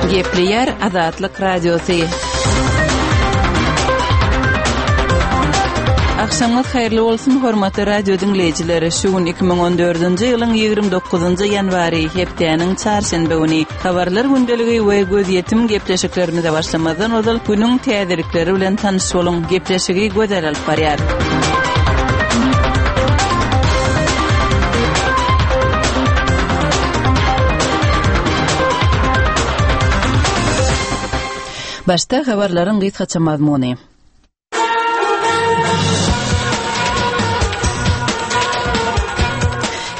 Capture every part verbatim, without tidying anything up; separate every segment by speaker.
Speaker 1: Gepleýär Azatlyk Radiosy. Agşamyňyz haýyrly bolsun, hormatly radio diňleýjiler! Şu gün iki müň on dördünji ýylyň ýigrimi dokuzynjy ýanwary, hepdäniň çarşenbe güni. Habarlar gündeligi we gözýetim gepleşiklerimize başlamazdan ozal günüň täzelikleri bilen tanyş boluň. Gepleşigi Gözel alyp barýar. Başda habarlaryň gysgaça mazmuny.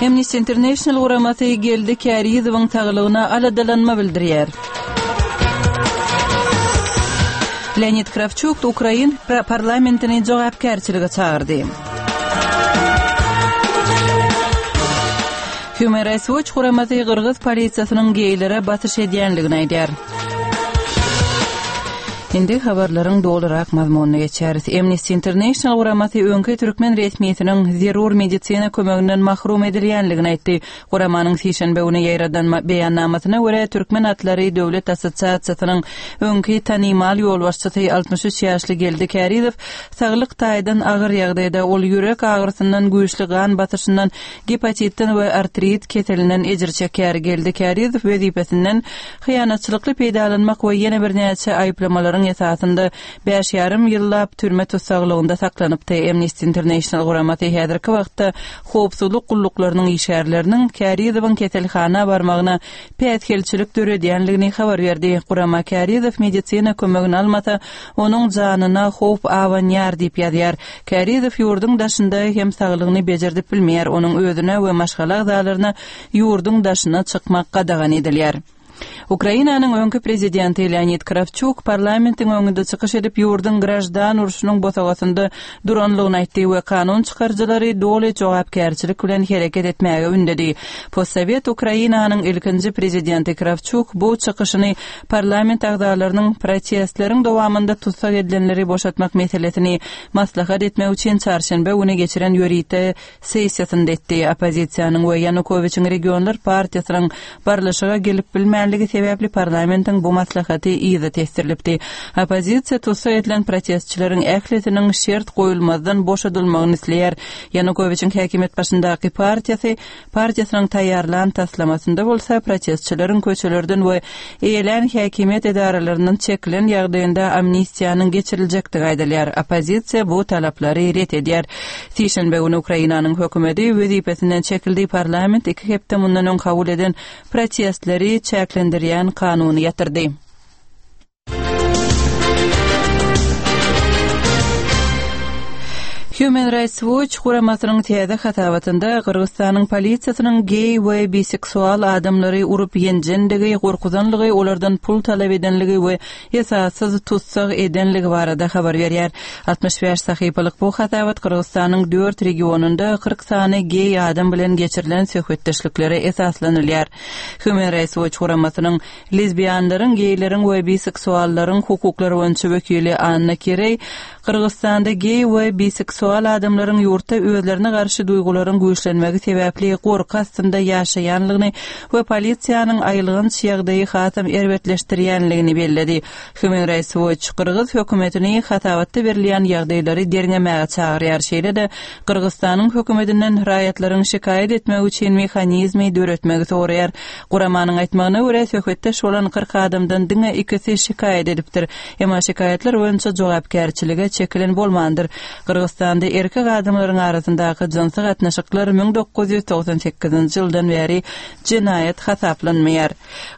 Speaker 1: Amnesty International guramasy Geldi Kärizowyň saglygyna aladalanma bildirýär. Leonid Krawçuk ukrain parlamentini jogapkärçilige çagyrdy. Human Rights Watch guramasy gyrgyz polisiýasynyň geýlere basyş edýänligini aýdýar. Indi habarlaryň dolurak mazmunyna geçýäris. Amnesty International guramasy öňki türkmen resmisiniň zerur medisina kömeginden mahrum edilýänligini aýtdy. Guramanyň sişenbe güni ýaýradan beýannamasyna görä, Türkmen atlary döwlet assosiasiýasynyň öňki tanymal ýolbaşçysy altmyş üç ýaşly Geldi Kärizow saglyk taýdan agyr ýagdaýda, ol ýürek agyrysyndan, güýçli gan basyşyndan, gepatitden we artrit keselinden ejir çekýär. Geldi Kärizow wezipesinden hyýanatçylykly peýdalanmak we ýene birnäçe aýyplamalaryň esasynda bäş ýarym ýyllap türme tussaglygynda saklanypdy. Amnesty International guramasy häzirki wagtda howpsuzlyk gulluklarynyň işgärleriniň Kärizowyň keselhana barmagyna päsgelçilik döredýänligini habar berdi. Gurama Kärizow medisina kömegini almasa, onuň janyna howp abanýar diýip ýazýar. Kärizow ýurduň daşynda hem saglygyny bejerdip bilmeýär, onuň özüne we maşgala agzalaryna ýurduň daşyna çykmak gadagan edilýär. Ukrainanyň öňki prezidenti Leonid Krawçuk parlamentiň öňünde çykyş edip, ýurduň graždan urşunyň bosagasynda duranlygyny aýtdy we kanun çykaryjylary doly jogapkärçilik bilen hereket etmäge ündedi. Postsowet Ukrainanyň ilkinji prezidenti Krawçuk bu çykyşyny parlament agzalarynyň protestleriň dowamynda tussag edilenleri boşatmak meselesini maslahat etmek üçin çarşenbe güni geçiren ýörite sessiýasynda etdi. Oppozisiýanyň we Ýanukowiçiň regionlar partiýasynyň barlyşyga gelip bilmänligi sebäpli parlamentiň bu maslahaty yza tesdirilipdi. Oppozisiýa tussag edilen protestçileriň ählisiniň şert goýulmazdan boşadylmagyny isleýär. Ýanukowiçiň häkimiýet başyndaky partiýasy partiýasynyň taýýarlan taslamasynda bolsa protestçileriň köçelerden we eýelän häkimiýet edaralaryndan çekilen ýagdaýynda amnistiýanyň geçiriljekdigi aýdylýar. Oppozisiýa bu talaplary ret edýär. Sişenbe güni Ukrainanyň hökümeti wezipesinden çekildi. Parlament iki hepde mundan öň kabul eden protestleri çäklendirýän kanuny ýatyrdy. Human Rights Watch guramasynyň täze hasabatynda Gyrgyzystanyň polisiýasynyň geý we biseksual adamlary urup ýenjendigi, gorkuzanlygy, olardan pul talap edenligi we esassyz tussag edenligi barada habar berýär. Altmyş bäş sahypalyk bu hasabat Gyrgyzystanyň dört regionynda kyrk sany geý adam bilen geçirilen söhbetdeşliklere esaslanylýar. Human Rights Watch guramasynyň lezbianlaryň, geýleriň we biseksuallaryň hukuklary boýunça wekili Anna Kireý Gyrgyzystanda geý we biseksual adamlaryň ýurtda özlerine garşy duýgularyň güýçlenmegi sebäpli gorky astynda ýaşaýanlygyny we polisiýanyň aýylganç ýagdaýy hasam erbetleşdirýänligini belledi. Human Rights Watch gyrgyz hökümetini hasabatda berilýän ýagdaýlary derňemäge çagyrýar, şeýle-de Gyrgyzystanyň hökümetinden raýatlaryň şikaýat etmegi üçin mehanizmi döretmegi soraýar. Guramanyň aýtmagyna görä, söhbetdeş bolan kyrk adamdan diňe ikisi şikaýat edipdir. Emma şikaýatlar boýunça jogapkärçilige çekilen bolmandyr. Gyrgyzystanda erkek adamlaryň arasyndaky jynsy gatnaşyklar müň dokuz ýüz togsan sekizinji ýyldan bäri jenaýat hasaplanmaýar.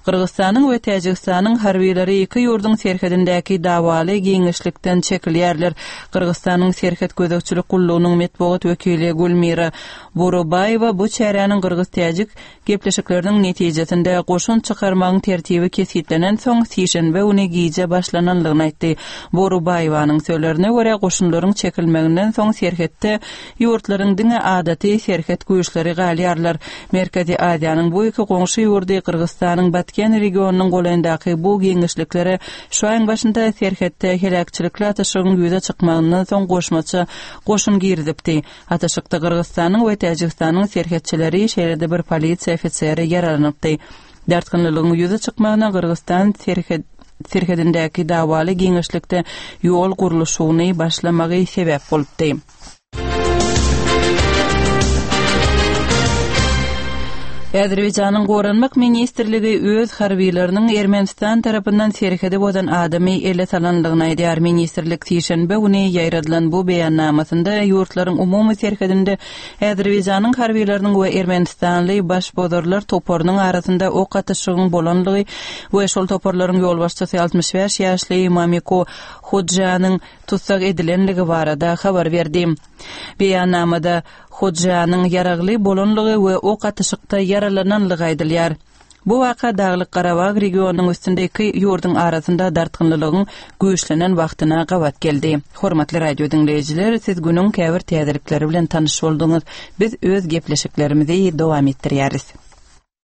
Speaker 1: Gyrgyzystanyň we Täjigistanyň harbylary iki ýurduň serhedindäki dawaly giňişlikden çekilýärler. Gyrgyzystanyň serhet gözegçilik gullugynyň metbugat wekili Gülmira Borubaýewa bu çäräniň gyrgyz-täjik gepleşikleriniň netijesinde goşun çykarmagyň tertibi kesgitlenen soň sişenbe güni gije başlananlygyny aýtdy. Borubaýewanyň sözlerine görä, goşunlaryň çekilmeginden soň serhetde ýurtlaryň diňe adaty serhet güýçleri galýarlar. Merkezi Aziýanyň bu iki goňşy ýurdy Gyrgyzystanyň Batken regionynyň golaýyndaky bu giňişliklere şu aýyň başynda serhetde heläkçilikli atyşygyň ýüze çykmagyndan soň goşmaça goşun girizipdi. Atyşykda Gyrgyzystanyň we Täjigistanyň serhetçileri, şeýle-de bir polisiýa ofiseri ýaralanypdy. Dartgynlylygyň ýüze çykmagyna Gyrgyzystan serhedindäki dawaly giňişlikde ýol gurluşygyny başlamagy sebäp bolupdy. Azerbaýjanyň Goranmak ministrligi öz harbylarynyň Ermenistan tarapyndan serhedi bozan adamy ele salandygyny aýdýar. Ministrlik sişenbe güni ýaýradylan bu beýannamasynda ýurtlaryň umumy serhedinde Azerbaýjanyň harbylarynyň we ermenistanly başbozarlar toparynyň arasynda ok atyşygyň bolanlygy we şol toparlaryň ýolbaşçysy altmyş bäş ýaşly Mamiko Hodjanyň tussag edilenligi barada habar berdi. Beýannamada Hodjanyň ýaragly bolanlygy we ok atyşykda ýaralananlygy aýdylýar. Bu waka Daglyk-Garabag regionynyň üstünde iki ýurduň arasynda dartgynlylygyň güýçlenen wagtyna gabat geldi. Hormatly radio diňleýjiler, siz günüň käbir täzelikleri bilen tanyş bolduňyz. Biz öz gepleşiklerimizi dowam etdirýäris.